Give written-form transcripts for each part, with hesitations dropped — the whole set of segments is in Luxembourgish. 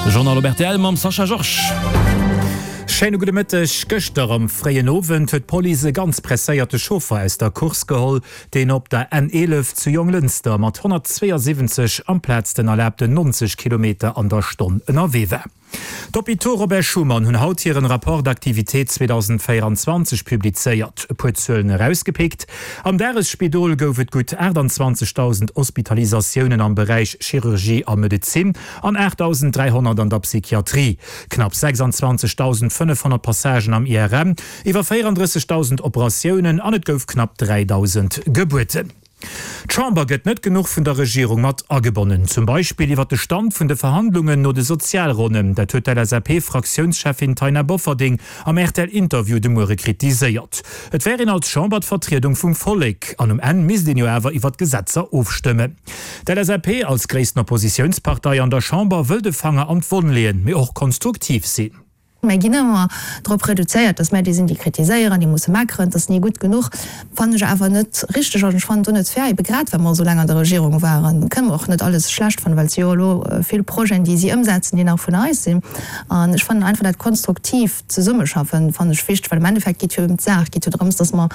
De Journal op rtl mam Sascha Georges. Schéine gudde Mëtteg. Gëschter am fréien Owend huet d'Police e ganz presséierte Chauffer aus der Course geholl, deen op der N11 zu Jonglënster mat 172 amplaz den erlaabten 90 Kilometer an der Stonn ënnerwee war. D'Hôpitaux Robert Schuman hunn haut hiren Rapport d'activité 2024 publizéiert. E puer Zuelen erausgepickt, Am Dagesspidol gouf et gutt 28.000 Hospitalisatiounen am Beräich Chirurgie a Medezin an 8.300 an der Psychiatrie, knapp 26.500 Passagen am IRM, iwwer 34.000 Operatiounen an et gouf knapp 3.000 Gebuerten. D'Chamber gëtt net genuch vun der Regierung mat agebonnen, zum Beispill iwwer de Stand vun de Verhandlungen no de Sozialronnen. Dat huet d'LSAP-Fraktiounscheffin Taina Bofferding am RTL-Interview de Muere kritiséiert. Et wär een als Chamber d'Vertriedung vum Vollek an um Enn misst een jo awer iwwer d'Gesetzer ofstëmmen. D'LSAP als gréissten Oppositiounspartei an der Chamber wëll de Fanger an d'Wonn leeën, mee och konstruktiv sinn. Mär ginn ëmmer drop reduzéiert, dass mär déi sinn, déi kritiséieren, déi musse meckeren, et ass ni gutt genuch. Fannen ech awer net richteg an ech fannen et och net fair. Ebe grad well mer esou laang an der Regierung waren, kënne mer och net alles schlecht fannen, well et si jo elo vill Projeten, déi si ëmsetzen, déi nach vun eis sinn. An ech fannen einfach dat konstruktiivt Zesummeschaffen fannen ech wichteg, well am Endeffekt geet jo ëm d'Saach, geet jo drëms, dass mer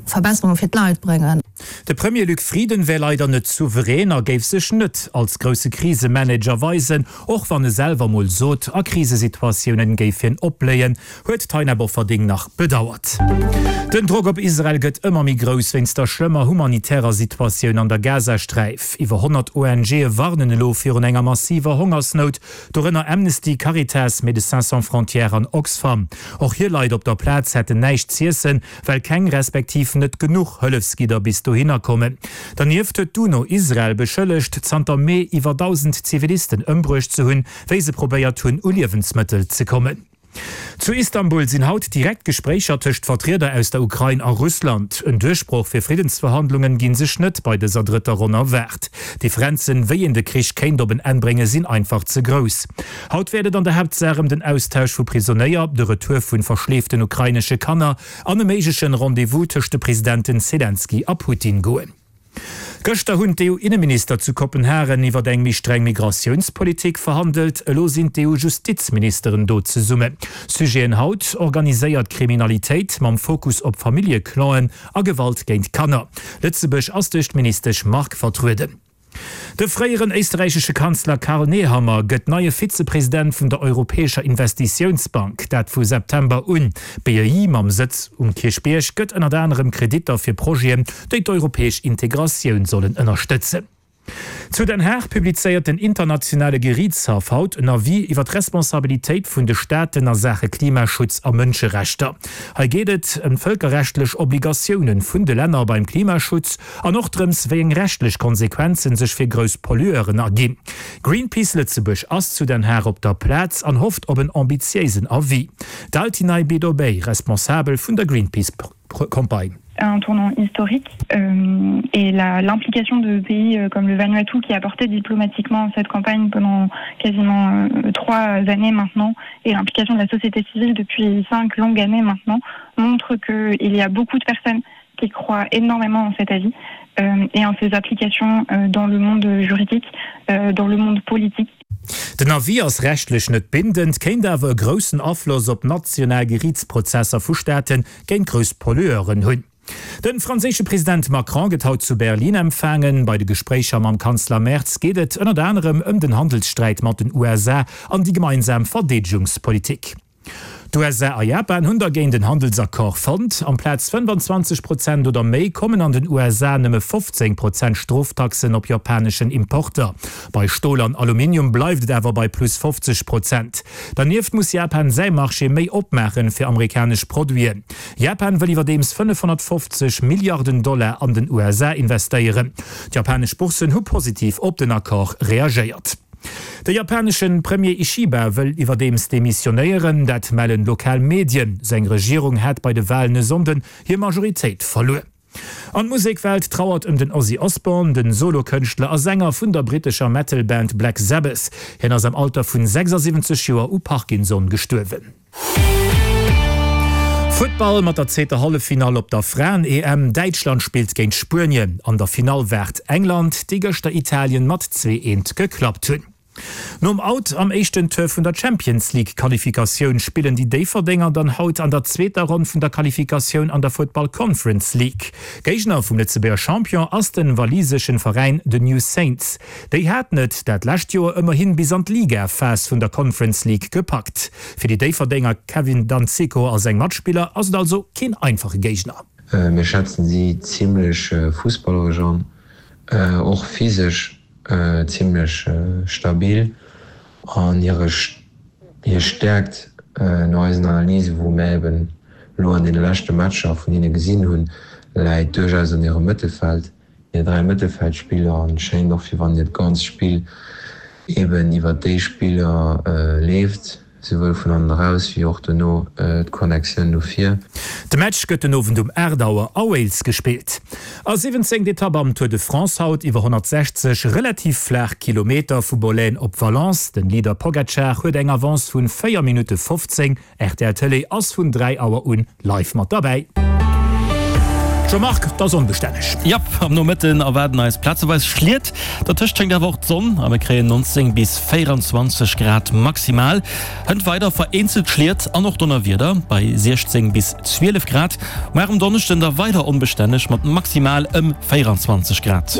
Verbesserunge fir d'Leit bréngen. De Premier Luc Frieden wär leider net souverän a géif sech net als grousse Krisemanager weisen, och wann e selwer mol sot, a Krisesituatiounen géif hien opbléien, huet d'Taina Bofferding nach bedauert. Den Drock op Israel gëtt ëmmer méi grouss wéinst der schlëmmer humanitärer Situatioun an der Gazasträif. Iwwer 100 ONGe warnen elo virun enger massiver Hongersnout, dorënner Amnesty, Caritas, Médecins Sans Frontières an Oxfam. Och hir Leit op der Plaz hätten näischt z'iessen, well keng respektiv net genuch Hëllefsgidder bis dohinner kommen. Dernieft huet d'UNO Israel beschëllegt, zanter Mee iwwer 1.000 Zivilisten ëmbruecht ze hunn, wéi se probéiert hunn, u Liewensmëttel ze kommen. Zu Istanbul sinn haut direkt Gespréicher tëscht Vertrieder aus der Ukrain a Russland. En Duerchbroch fir Friddensverhandlungen gi sech net bei dëser drëtter Ronn erwaart. D'Differenzen, wéi een de Krich kéint op en Enn bréngen, sinn einfach ze grouss. Haut wäert et an der Haaptsaach ëm den Austausch vu Prisonéier, de Retour vu verschleeften ukrainesche Kanner an e méiglechen Rendez-vous tëscht de Presidenten Selenskyj a Putin goen. Gëschter hunn d'EU-Inneminister zu Kopenhagen iwwer eng méi streng Migratiounspolitik verhandelt. Elo sinn d'EU-Justizministeren do zesummen. Sujeten haut, Organiséiert Kriminalitéit mam Fokus op Familljeclanen a Gewalt géint Kanner. Lëtzebuerg ass duerch d'Ministesch Margue vertrueden. De fréieren éisterräichesche Kanzler Karl Nehammer gëtt neie Vizepresident vun der Europäescher Investitiounsbank, dat vu September un. D'BEI mam Sëtz um Kierchbierg gëtt ënnert anerem Kreditter fir Projeten, déi d'europäesch Integratioun sollen ënnerstëtzen. Zu Den Haag publizéiert den Internationale Geriichtshaff haut en Avis iwwer d'Responsabilitéit vun de Staaten a Saache Klimaschutz a Mënscherechter. Hei geet et ëm d'vëlkerrechtlech Obligatiounen vun de Länner beim Klimaschutz An och drëms, wéi eng rechtlech Konsequenzen sech fir grouss Pollueuren erginn. Greenpeace Lëtzebuerg ass zu Den Haag op der Plaz an hofft op en ambitiéisen Avis. D'Altinay Bidobey, Responsabel vun der Greenpeace-Campagne. Un tournant historique et la l'implication de pays comme le Vanuatu qui a porté diplomatiquement cette campagne pendant quasiment trois années maintenant et l'implication de la société civile depuis cinq longues années maintenant montre qu'il y a beaucoup de personnes qui croient énormément en cet avis euh, et en ses applications euh, dans le monde juridique, euh, dans le monde politique. Den Avis ass rechtlech net bindend, kéint awer e groussen Afloss op national Geriichtsprozesser vu Staate géint grouss Pollueuren hunn. De franséische President Macron gëtt haut zu Berlin empfaangen. Bei de Gespréicher mam Kanzler Merz geet et ënnert anerem ëm den Handelssträit mat den USA an déi gemeinsam Verdeedegungspolitik. D'USA a Japan hunn dergéint en Handelsaccord fonnt. Amplaz 25 Prozent oder méi kommen an den USA nëmme 15 Prozent Stroftaxen op japaneschen Importer. Bei Stol an Aluminium bleift et awer bei plus 50 Prozent. Dernieft muss Japan säi Marché méi opmaachen fir amerikanesch Produiten. Japan wëll iwwerdeems 550 Milliarden Dollar an den USA investéieren. D'japanesch Bourssen hu positiv op den Accord reagéiert. De japanesche Premier Ishiba wëll iwwerdeems demissionéieren, dat mellen lokal Medien. Seng Regierung hätt bei de Walen e Sonnden hir Majoritéit verluer. An d'Musekwelt trauert ëm den Ozzy Osbourne, den Solokënschtler a Sänger vun der brittescher Metal-Band Black Sabbath. Hien ass am Alter vun 76 Joer u Parkinson gestuerwen. Futtball mat der zweeter Halleffinall op der Fraen-EM. Däitschland spillt géint Spuenien. An der Finall waart England, déi gëschter Italien mat 2, 1 geklappt hunn. Nom Out am éischten Tour vun der Champions League Qualifikatioun spillen déi Déifferdenger dann haut an der zweeter Ronn vun der Qualifikatioun an der Futtball Conference League. Géigner vum Lëtzebuerger Champion ass den waliseschen Veräin The New Saints. Déi haten et dat lescht Joer ëmmerhin bis an d'Liga-Phas vun der Conference League gepackt. Fir déi Déifferdenger Kevin Danseco a seng Matspiller ass et also keen einfache Géigner. Mir schätzen si zimlech fussballeresch an, och physesch zimlech stabil an hire hir Stäerkt no eisen Analysen, wou mär eben elo an deene leschte Matcher vun hinne gesinn hunn, läit duerchaus an hirem Mëttelfeld. Hir 3 Mëttelfeldspiller an schéint och wéi wann hiert ganzt Spill eben iwwert déi Spiller leeft, souwuel vun hannen eraus wéi och dono d'Connectioun no vir. De Match gëtt den Owend um 8 Auer a Wales gespillt. A 17. Etapp am Tour de France haut iwwer 160 relativ flaach Kilometer vu Bollène op Valence. Den Leader Pogacar huet eng Avance vun 4 Minutte 15. Rtl Tëlee ass vun 3 Auer un live mat derbäi. Jean-Marc, 't ass onbestänneg. Jap, am Nomëtten erwaarden eis plazeweis Schliet, dertëscht schéngt awer och d'Sonn a mir kréien 19 bis 24 Grad maximal. Hënt weider vereenzelt Schliet an och Donnerwieder bei 16 bis 12 Grad. Muar um Donneschden da weider onbestänneg mat maximal ëm 24 Grad.